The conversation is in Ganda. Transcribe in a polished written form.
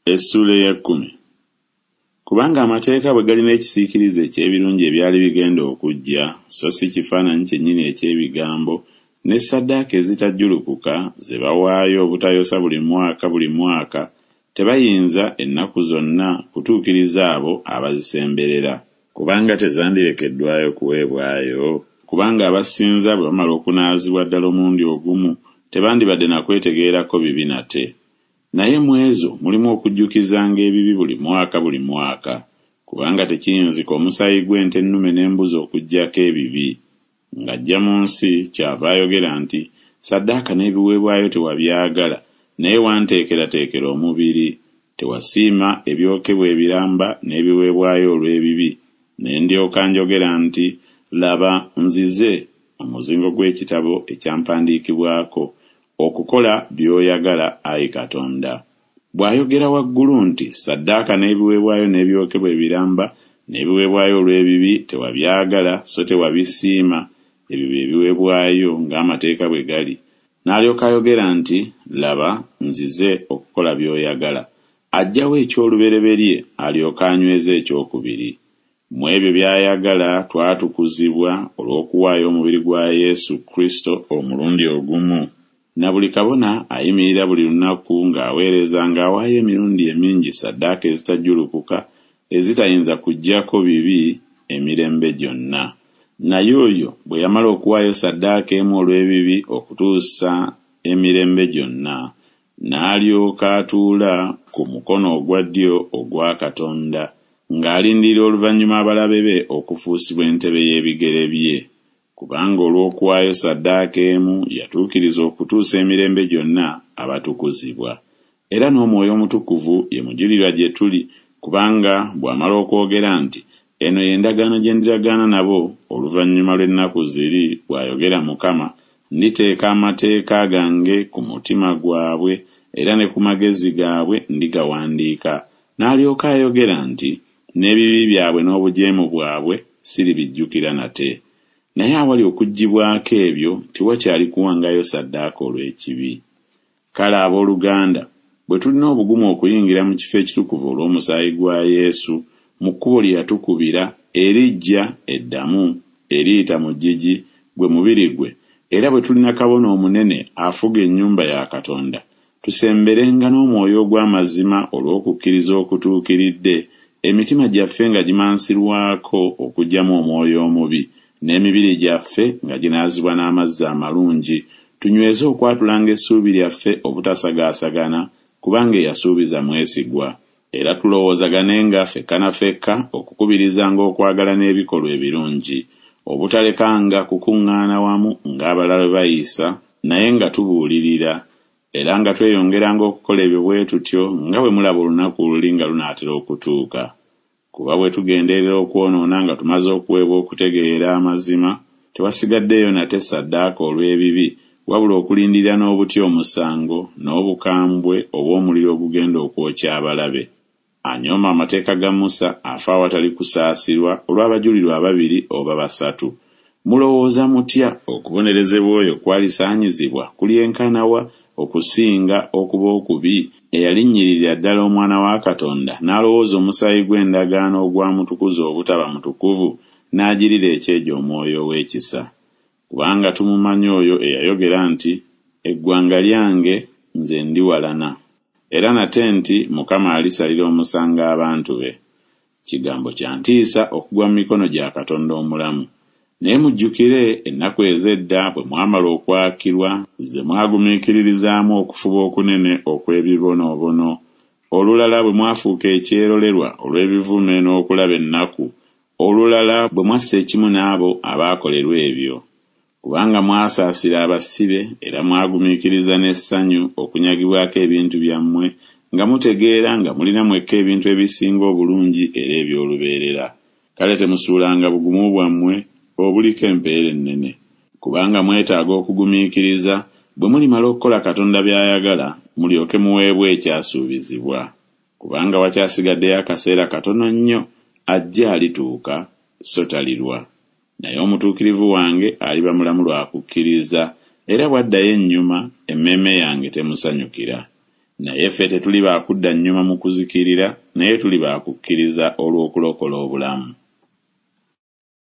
Essuula ey'ekkumi. Kubanga amateeka bwe galina ekisiikirize eky'ebirungi ebyali bigenda okujja, so si kifaananyi kyennyini eky'ebigambo, ne ssaddaaka ezitajjulukuka ze bawaayo obutayosa buli mwaka buli mwaka, tebayinza ennaku zonna kutuukiriza abo abazisemberera. Kubanga tezandirekeddwayo kuweebwayo? Kubanga abasinza bwe bamala okunaazibwa ddala omulundi ogumu, tebandibadde na kwetegeerako bibi nate. Naye mu ezo mulimu okujjukizanga ebibi buli mwaka buli mwaka, kubanga tekiyinzika omusaayi gw'ente ennume n'embuzi okuggyako ebibi. Ng'ajja mu nsi kyava ayogera nti, Ssaddaaka n'ebiweebwayo tewabyagala, naye wanteekerateekera omubiri. Tewasiima ebyokebwa ebiramba n'ebiweebwayo olw'ebibi, ne ndyoka njogera nti, Laba, nzize, omuzingo gw'ekitabo ekyampandiikibwako, okukola by'oyagala, ayi Katonda. Bw'ayogera waggulu nti, Ssaddaaka n'ebiweebwayo n'ebyokebwa ebiramba n'ebiweebwayo olw'ebibi tewabyagala so tewabisiima, ebyo bye biweebwayo ng'amateeka bwe gali, n'alyoka ayogera nti, Laba, nzize okukola by'oyagala. Aggyawo eky'olubereberye alyoke anyweze eky'okubiri. Mu ebyo by'ayagala twatukuzibwa olw'okuwaayo omubiri gwa Yesu Kristo omulundi ogumu. Na buli kabona ayimirira buli lunaku ng'aweereza ng'awaayo emirundi emingi ssaddaaka ezitajjulukuka ezitayinza kuggyako bibi emirembe gyonna. Naye oyo bwe yamala okuwaayo ssaddaaka emu olw'ebibi okutuusa emirembe gyonna, n'alyoka atuula ku mukono ogwa ddyo ogwa Katonda, ng'alindirira oluvannyuma abalabe be okufuusibwa entebe y'ebigere bye. Kubanga olw'okuwaayo ssaddaaka emu yatuukiriza okutuusa emirembe gyonna abatukuzibwa. Era n'Omwoyo Omutukuvu ye mujulirwa gye tuli, kubanga bw'amala okwogera nti, Eno ye ndagaano gye ndiragaana nabo oluvannyuma lw'ennaku ziri, bw'ayogera Mukama, nditeeka amateeka gange ku mutima gwabwe, era ne ku magezi gaabwe ndigawandiika. N'alyoka ayogera nti, N'ebibi byabwe n'obujeemu bwabwe siribijjukira nate. Naye awali okuggyibwako ebyo tewakyali kuwangayo ssaddaaka olw'ekibi. Kale ab'oluganda, bwe tulina obugumu okuyingira mu kifo ekitukuvu olw'omusaayi gwa Yesu, mu kkubo lye yatukubira, eriggya, eddamu, eriyita mu ggigi, gwe mubiri gwe, era bwe tulina kabona omunene afuga ennyumba ya Katonda, tusemberenga n'omwoyo ogw'amazima olw'okukkiriza okutuukiridde, emitima gyaffe nga gimansirwako okuggyamu omwoyo omubi, n'emibiri gyaffe nga ginaazibwa n'amazzi amalungi, tunyweze okwatulanga essuubi lyaffe obutasagaasagana, kubanga eyasuubiza mwesigwa. Era tulowoozaganenga fekka na fekka okukubirizanga okwagala n'ebikolwa ebirungi, obutalekanga kukuŋŋaana wamu ng'abalala bwe bayisa, naye nga tubuulirira, era nga tweyongeranga okukola ebyo bwe tutyo nga bwe mulaba olunaku luli nga lunaatera okutuuka. Kuba bwe tugenderera okwonoona nga tumaze okuweebwa okutegeera amazima, tewasigaddeeyo nate ssaddaaka olw'ebibi, wabula okulindirira n'obutya omusango, n'obukambwe obw'omuliro ogugenda okwokya abalabe. Anyooma amateeka ga Musa afa awatali kusaasirwa olw'abajulirwa ababiri oba basatu. Mulowooza mutya okubonerezebwa oyo kwalisaanyizibwa kulyenkana wa okusinga okuba okubi, eyalinnyirira ddala Omwana wa Katonda, n'alowooza omusaayi gw'endagaano ogwamutukuza obutaba mutukuvu, n'agirira ekyejo Omwoyo ow'ekisa? Kubanga tumumanyi oyo eyayogera nti, Eggwanga lyange, nze ndiwalana. Era nate nti, Mukama alisalira omusango abantu be. Kigambo kya ntiisa okugwa mu mikono gya Katonda omulamu. Naye mujjukire ennaku ez'edda bwe mwamala okwakirwa, ze mwagumiikiririzaamu okufuba okunene okw'ebibonoobono, olulala bwe mwafuuka ekyerolerwa olw'ebivume n'okulaba ennaku, olulala bwe mwassa ekimu n'abo abaakolerwa ebyo. Kubanga mwasaasira abasibe era mwagumiikiriza n'essanyu okunyagibwako ebintu byammwe, nga mutegeera nga mulina mwekka ebintu ebisinga obulungi era eby'olubeerera. Kale temusuulanga bugumu bwammwe obuliko empeera ennene. Kubanga mwetaaga okugumiikiriza, bwe mulimala okukola Katonda by'ayagala, mulyoke muweebwe ekyasuubizibwa. Kubanga wakyasigaddeyo akaseera katono nnyo, ajja alituuka, so talirwa. Naye omutuukirivu wange aliba mulamu lwa kukkiriza, era bw'addayo ennyuma, emmeeme yange temusanyukira. Naye ffe tetuli ba kudda nnyuma mu kuzikirira, naye tuli ba kukkiriza olw'okulokola obulamu.